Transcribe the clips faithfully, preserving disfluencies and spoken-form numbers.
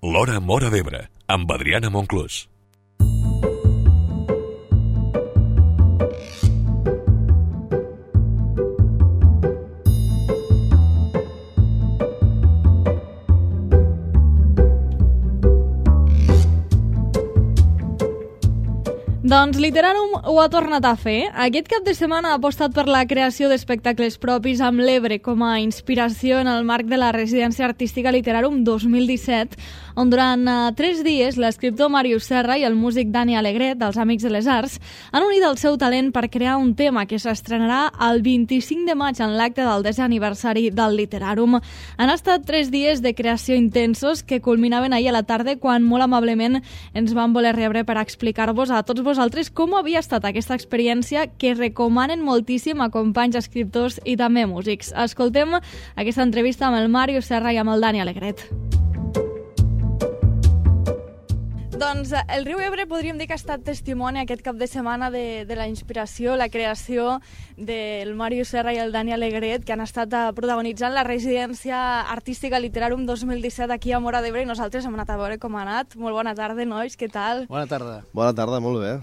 L'Hora Móra d'Ebre, amb Adriana Monclús. Doncs Literarum ho ha tornat a fer. Aquest cap de setmana ha apostat per la creació d'espectacles propis amb l'Ebre com a inspiració en el marc de la residència artística Literarum dos mil disset, on durant uh, tres dies l'escriptor Màrius Serra i el músic Dani Alegret, dels Amics de les Arts, han unit el seu talent per crear un tema que s'estrenarà el vint-i-cinc de maig en l'acte del desè aniversari del Literarum. Han estat tres dies de creació intensos que culminaven ahir a la tarda quan molt amablement ens van voler rebre per explicar-vos a tots vosaltres com havia estat aquesta experiència que recomanen moltíssim a companys escriptors i també músics. Escoltem aquesta entrevista amb el Màrius Serra i amb el Dani Alegret. Doncs el riu Ebre podríem dir que ha estat testimoni aquest cap de setmana de, de la inspiració, la creació del Màrius Serra i el Dani Alegret, que han estat protagonitzant la residència artística Literarum dos mil disset aquí a Móra d'Ebre, i nosaltres hem anat a veure com ha anat. Molt bona tarda, nois, què tal? Bona tarda. Bona tarda, molt bé.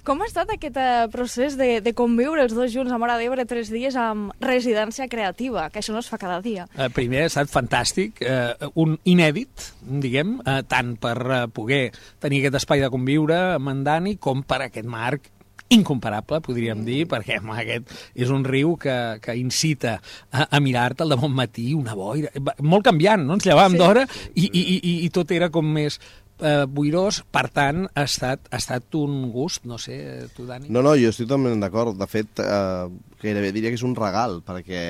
Com ha estat aquest procés de, de conviure els dos junts a Móra d'Ebre tres dies amb residència creativa, que això no es fa cada dia? Eh, primer ha estat fantàstic, eh, un inèdit, diguem, eh, tant per eh, poder tenir aquest espai de conviure amb en Dani com per aquest marc incomparable, podríem dir, perquè home, aquest és un riu que, que incita a, a mirar-te al de bon matí, una boira, molt canviant, no? Ens llevàvem sí. d'hora i, i, i, i tot era com més eh, boirós, per tant, ha estat, ha estat un gust, no sé, tu, Dani? No, no, jo estic totalment d'acord. De fet, eh, gairebé diria que és un regal, perquè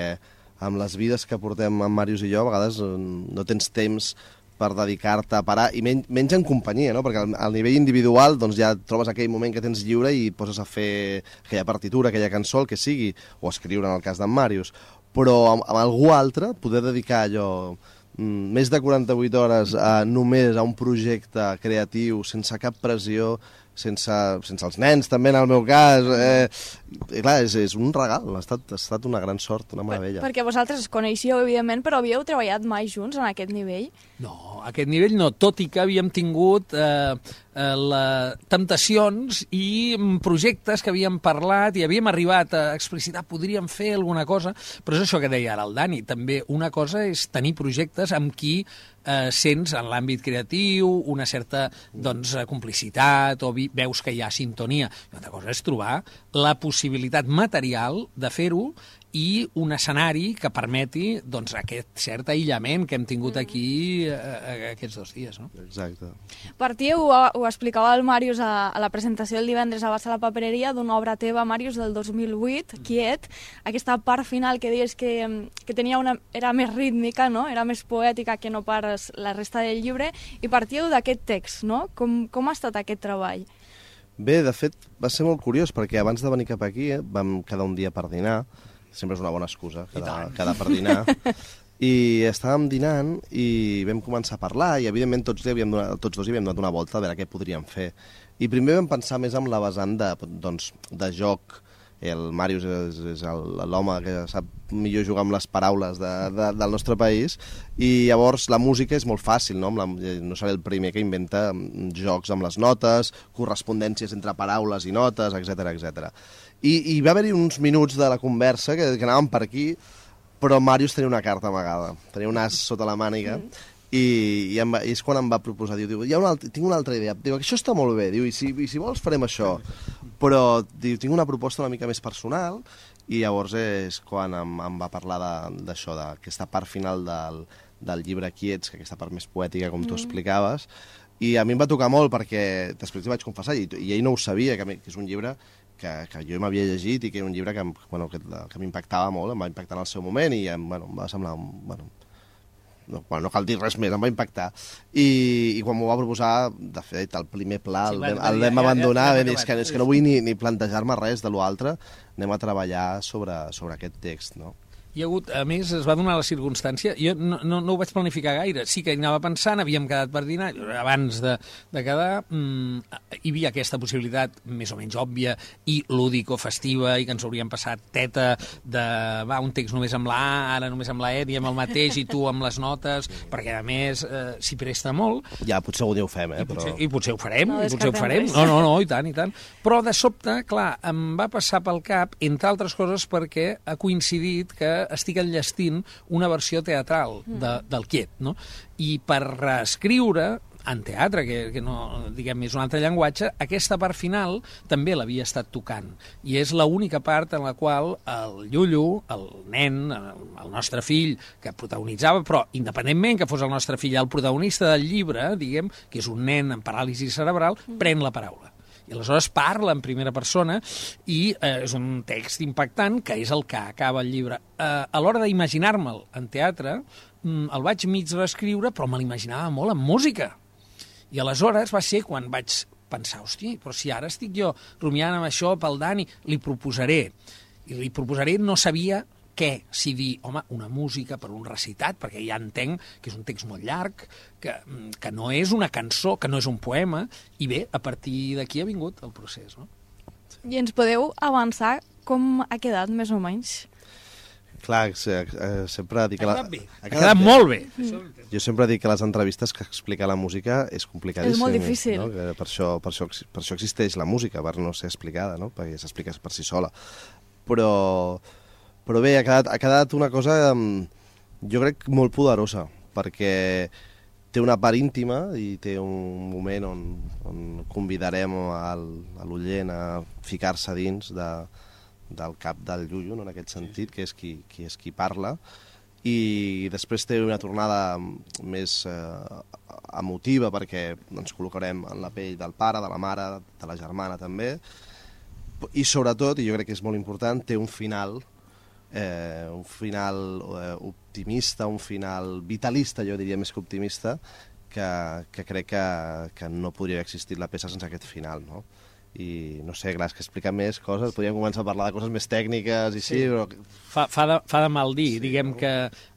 amb les vides que portem en Màrius i jo, a vegades no tens temps per dedicar-te a parar, i menys, menys en companyia, no? Perquè al, al nivell individual doncs ja trobes aquell moment que tens lliure i poses a fer aquella partitura, aquella cançó, el que sigui, o escriure en el cas d'en Màrius. Però amb, amb algú altre, poder dedicar allò mm, més de quaranta-vuit hores a, només a un projecte creatiu, sense cap pressió, sense, sense els nens, també, en el meu cas. Eh, i clar, és, és un regal, ha estat, ha estat una gran sort, una meravella. Per, perquè vosaltres es coneixeu, evidentment, però havíeu treballat mai junts en aquest nivell? No, a aquest nivell no, tot i que havíem tingut eh, eh, la, temptacions i projectes que havíem parlat i havíem arribat a explicitar, podríem fer alguna cosa, però és això que deia ara el Dani, també una cosa és tenir projectes amb qui eh, sents en l'àmbit creatiu una certa doncs, complicitat o vi, veus que hi ha sintonia. Una altra cosa és trobar la possibilitat material de fer-ho i un escenari que permeti doncs, aquest cert aïllament que hem tingut aquí eh, aquests dos dies. No? Exacte. Partíeu, ho, ho explicava el Màrius a, a la presentació del divendres a Bassa la Papereria, d'una obra teva, Màrius, del dos mil vuit, Quiet, aquesta part final que deies que, que tenia una, era més rítmica, no? Era més poètica que no pas la resta del llibre, i partíeu d'aquest text, no? Com, com ha estat aquest treball? Bé, de fet, va ser molt curiós, perquè abans de venir cap aquí eh, vam quedar un dia per dinar. Sempre és una bona excusa, quedar, quedar per dinar. I estàvem dinant i vam començar a parlar i, evidentment, tots, havíem donat, tots dos hi havíem donat una volta a veure què podríem fer. I primer vam pensar més en la vessant de, doncs, de joc. El Màrius és, és l'home que sap millor jugar amb les paraules de, de, del nostre país, i llavors la música és molt fàcil, no? La, no seré el primer que inventa jocs amb les notes, correspondències entre paraules i notes, etcètera, etcètera. I, i va haver-hi uns minuts de la conversa que, que anàvem per aquí, però Màrius tenia una carta amagada, tenia un as sota la màniga, mm. i, i, em va, i és quan em va proposar, diu, diu hi ha una altra, tinc una altra idea, diu, això està molt bé, diu, i si, i si vols farem això, però diu, tinc una proposta una mica més personal, i llavors és quan em, em va parlar d'això, d'aquesta part final del, del llibre Quiets, que aquesta part més poètica, com tu mm. explicaves, i a mi em va tocar molt perquè després li vaig confessar, i, i ell no ho sabia, que, que és un llibre que, que jo m'havia llegit i que era un llibre que, bueno, que, que m'impactava molt, em va impactar en el seu moment i em, bueno, em va semblar... Bueno, no, bueno, no cal dir res més, em va impactar. I, i quan m'ho va proposar, de fet, el primer pla sí, el, vam, el vam abandonar, ja, ja, ja, ja, és, que, és que no vull ni, ni plantejar-me res de l'altre, anem a treballar sobre, sobre aquest text, no? Hi ha hagut, a més, es va donar la circumstància, jo no, no, no ho vaig planificar gaire, sí que hi anava pensant, havíem quedat per dinar, abans de, de quedar, mmm, hi havia aquesta possibilitat més o menys òbvia i lúdico-festiva, i que ens hauríem passat teta de, va, un text només amb la A, ara només amb la E, diem el mateix, i tu amb les notes, perquè a més eh, s'hi presta molt. Ja, potser algun dia ho fem, eh? I potser, però... i potser ho farem, No i potser ho farem. res. No, no, no, i tant, i tant. Però de sobte, clar, em va passar pel cap, entre altres coses, perquè ha coincidit que estic enllestint una versió teatral de, del Quiet, no? I per reescriure en teatre, que, que no, diguem, és un altre llenguatge, aquesta part final també l'havia estat tocant. I és l'única part en la qual el Llullo, el nen, el nostre fill, que protagonitzava, però independentment que fos el nostre fill el protagonista del llibre, diguem, que és un nen amb paràlisi cerebral, pren la paraula. I aleshores parla en primera persona i eh, és un text impactant que és el que acaba el llibre. Eh, a l'hora d'imaginar-me'l en teatre, mm, el vaig mig reescriure, però me l'imaginava molt en música. I aleshores va ser quan vaig pensar, hosti, però si ara estic jo rumiant amb això pel Dani, li proposaré. I li proposaré, no sabia què, si dir, home, una música per un recitat, perquè ja entenc que és un text molt llarg, que, que no és una cançó, que no és un poema, i bé, a partir d'aquí ha vingut el procés, no? I ens podeu avançar com ha quedat, més o menys? Clar, sempre dic que... Ha La... quedat bé, ha quedat molt bé. Jo sempre dic que les entrevistes que explicar la música és complicadíssim. És molt difícil. No? Que per, això, per, això, per això existeix la música, per no ser explicada, no? Perquè s'explica per si sola. Però... Però bé, ha quedat, ha quedat una cosa, jo crec, molt poderosa, perquè té una part íntima i té un moment on, on convidarem al, a l'oient a ficar-se dins de, del cap del Llullo, no, en aquest sentit, que és qui, qui és qui parla, i després té una tornada més eh, emotiva, perquè ens col·locarem en la pell del pare, de la mare, de la germana també, i sobretot, i jo crec que és molt important, té un final... Eh, un final eh, optimista, un final vitalista, jo diria més que optimista, que, que crec que, que no podria haver existit la peça sense aquest final, no? I no sé, clar, és que explicar més coses, podríem començar a parlar de coses més tècniques i sí, sí però... Fa, fa, de, fa de mal dir, sí, diguem no? Que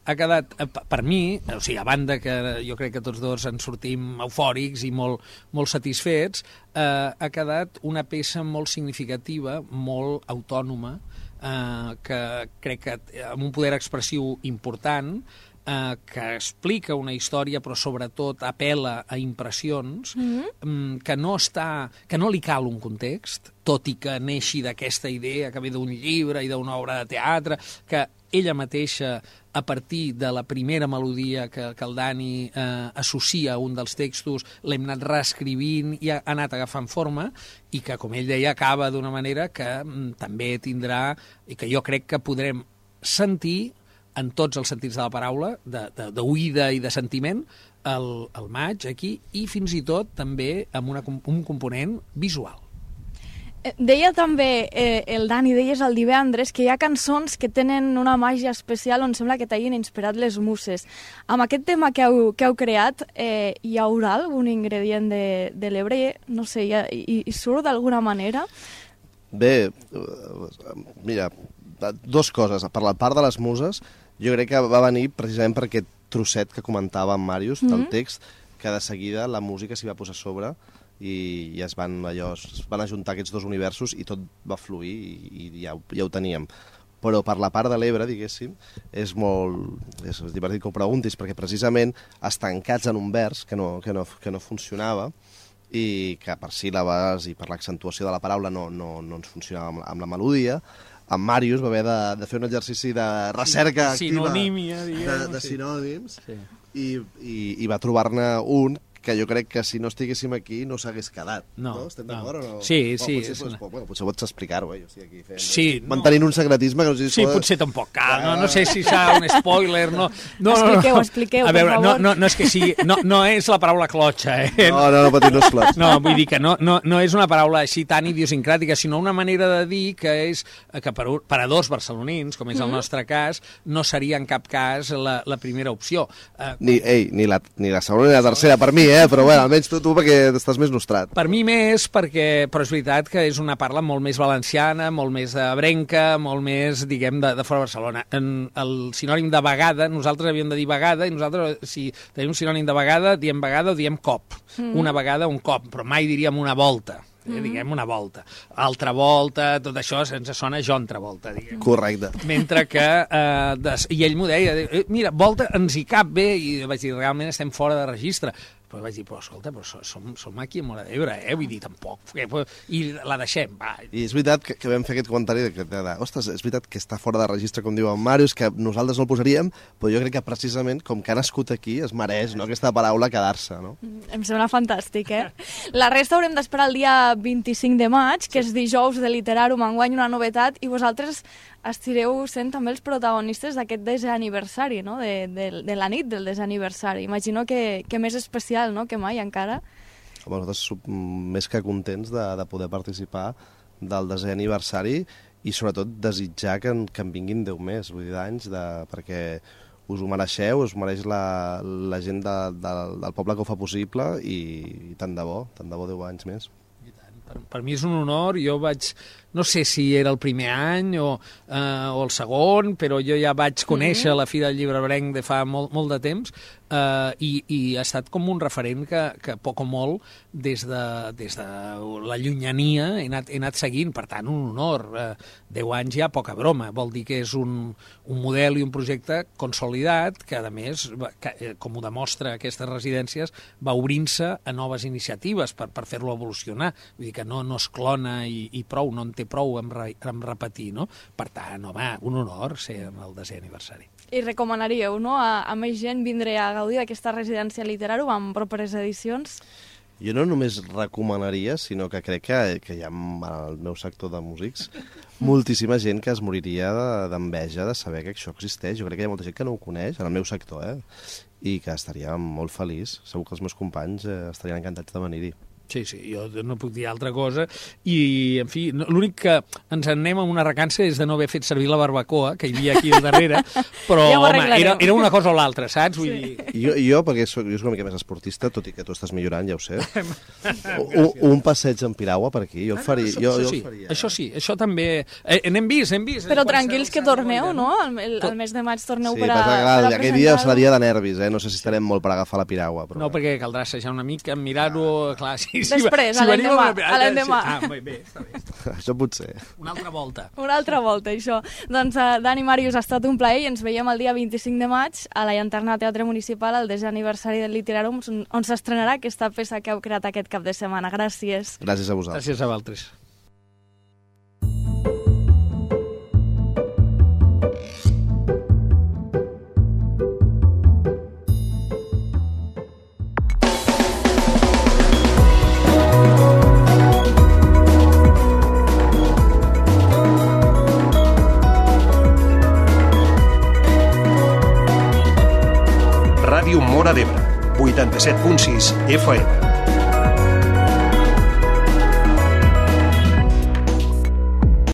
ha quedat, per mi, o sigui, a banda que jo crec que tots dos ens sortim eufòrics i molt, molt satisfets, eh, ha quedat una peça molt significativa, molt autònoma, eh, que crec que amb un poder expressiu important, eh, que explica una història però sobretot apela a impressions, mm-hmm. que no està, que no li cal un context, tot i que neixi d'aquesta idea que ve d'un llibre i d'una obra de teatre, que ella mateixa, a partir de la primera melodia que, que el Dani eh, associa a un dels textos, l'hem anat reescrivint i ha anat agafant forma, i que, com ell deia, acaba d'una manera que mm, també tindrà, i que jo crec que podrem sentir en tots els sentits de la paraula, d'oïda i de sentiment, el, el maig aquí, i fins i tot també amb una, un component visual. Deia també eh, el Dani, deies el divendres, que hi ha cançons que tenen una màgia especial on sembla que t'hagin inspirat les muses. Amb aquest tema que heu, que heu creat, eh, hi haurà algun ingredient de, de l'Ebre? No sé, hi, hi, hi surt d'alguna manera? Bé, mira, dos coses. Per la part de les muses, jo crec que va venir precisament per aquest trosset que comentava en Màrius, del mm-hmm. text, que de seguida la música s'hi va posar a sobre i, i es van allò, es van ajuntar aquests dos universos i tot va fluir i, i ja, ja ho teníem. Però per la part de l'Ebre, diguéssim, és molt és divertit que ho preguntis, perquè precisament estancats en un vers que no, que no, que no funcionava i que per síl·labes i per l'accentuació de la paraula no, no, no ens funcionava amb la, amb la melodia, en Màrius va haver de, de fer un exercici de recerca sí, activa diguem, de, de sí. sinònims sí. i, i, i va trobar-ne un que jo crec que si no estiguéssim aquí no s'hagués quedat. No, no? Estem d'acord no. o no? Sí, oh, sí. Potser, És una... una... bueno, potser pots explicar-ho, eh? Jo estic aquí fent... Sí, mantenint no. un secretisme que no sé si... Sí, pot... potser tampoc cal, no, no sé si serà un spoiler, no... no expliqueu, no, no. expliqueu, a veure, per favor. no, no, no és que sigui... No, no és la paraula clotxa, eh? No, no, no patir, no és clotxa. No, vull dir que no, no, no és una paraula així tan idiosincràtica, sinó una manera de dir que és que per, per a dos barcelonins, com és el nostre cas, no seria en cap cas la, la primera opció. Uh, ni, ei, ni, la, ni la segona ni la tercera per mi, eh? Però bueno, almenys tu, tu perquè estàs més nostrat. Per mi més, perquè, però és veritat que és una parla molt més valenciana, molt més ebrenca, molt més, diguem, de, de fora de Barcelona. En el sinònim de vegada, nosaltres havíem de dir vegada, i nosaltres, si tenim un sinònim de vegada, diem vegada o diem cop. Mm. Una vegada, un cop, però mai diríem una volta. Eh, diguem una volta. Altra volta, tot això ens sona John Travolta, diguem. Correcte. Mentre que, eh, des, i ell m'ho deia, eh, mira, volta ens hi cap bé, i vaig dir, realment estem fora de registre. Però vaig dir, però escolta, però som, som aquí a Móra d'Ebre, eh? Vull dir, tampoc. I la deixem, va. I és veritat que, que vam fer aquest comentari de que, de, de, ostres, és veritat que està fora de registre, com diu en Màrius, que nosaltres no el posaríem, però jo crec que precisament, com que ha nascut aquí, es mereix, no?, aquesta paraula quedar-se, no? Em sembla fantàstic, eh? La resta haurem d'esperar el dia vint-i-cinc de maig, que és dijous de Literarum, enguany una novetat, i vosaltres estireu sent també els protagonistes d'aquest desè aniversari, no?, de, de, de la nit del desè aniversari. Imagino que, que més especial, no?, que mai encara. Home, nosaltres som més que contents de, de poder participar del desè aniversari i sobretot desitjar que en, que en vinguin deu més, vull dir, d'anys, de, perquè us ho mereixeu, us mereix la, la gent de, de, del poble que ho fa possible i, i tant de bo, tant de bo deu anys més. Per, per mi és un honor, jo vaig... No sé si era el primer any o, eh, o el segon, però jo ja vaig conèixer mm-hmm. la Fira del Llibre Ebrenc de fa molt, molt de temps eh, i, i ha estat com un referent que, que poc o molt des de, des de la llunyania he anat, he anat seguint, per tant, un honor. Eh, deu anys ja, poca broma, vol dir que és un, un model i un projecte consolidat que, a més, que, com ho demostra aquestes residències, va obrint-se a noves iniciatives per, per fer-lo evolucionar. Vull dir que no, no es clona i, i prou, no en té prou amb, re, amb repetir, no? Per tant, home, un honor ser en el desè aniversari. I recomanaríeu, no?, a, a més gent vindre a gaudir d'aquesta residència Literarum amb properes edicions? Jo no només recomanaria, sinó que crec que, que hi ha al meu sector de músics moltíssima gent que es moriria d'enveja de saber que això existeix. Jo crec que hi ha molta gent que no ho coneix, en el meu sector, eh? I que estaria molt feliç. Segur que els meus companys eh, estarien encantats de venir-hi. Sí, sí, jo no puc dir altra cosa. I, en fi, no, l'únic que ens en anem amb una recança és de no haver fet servir la barbacoa, que hi havia aquí al darrere, però, ja home, era, era una cosa o l'altra, saps? Vull sí. dir... Jo, jo, perquè soc, jo soc una mica més esportista, tot i que tu estàs millorant, ja ho sé. un, un passeig en piragua per aquí, jo el faria. Això, jo, això, jo sí, el faria. això sí, això també... Eh, n'hem vist, hem vist. Però tranquils que torneu, no? El, el mes de maig torneu sí, per a, clar, per a aquell dia serà dia de nervis, eh? No sé si estarem molt per agafar la piragua. Però... No, perquè caldrà assajar una mica, mirar-ho... Clar, sí, sí, després, si a l'endemà, a l'endemà. Ah, bé, bé, està bé. Això potser. Una altra volta. Una altra volta, això. Doncs, uh, Dani, Màrius, ha estat un plaer i ens veiem el dia vint-i-cinc de maig a la Llanterna Teatre Municipal, al desè aniversari del Literarum, on s'estrenarà aquesta peça que heu creat aquest cap de setmana. Gràcies. Gràcies a vosaltres. Gràcies a vosaltres. Ràdio Móra d'Ebre, vuitanta-set punt sis F M.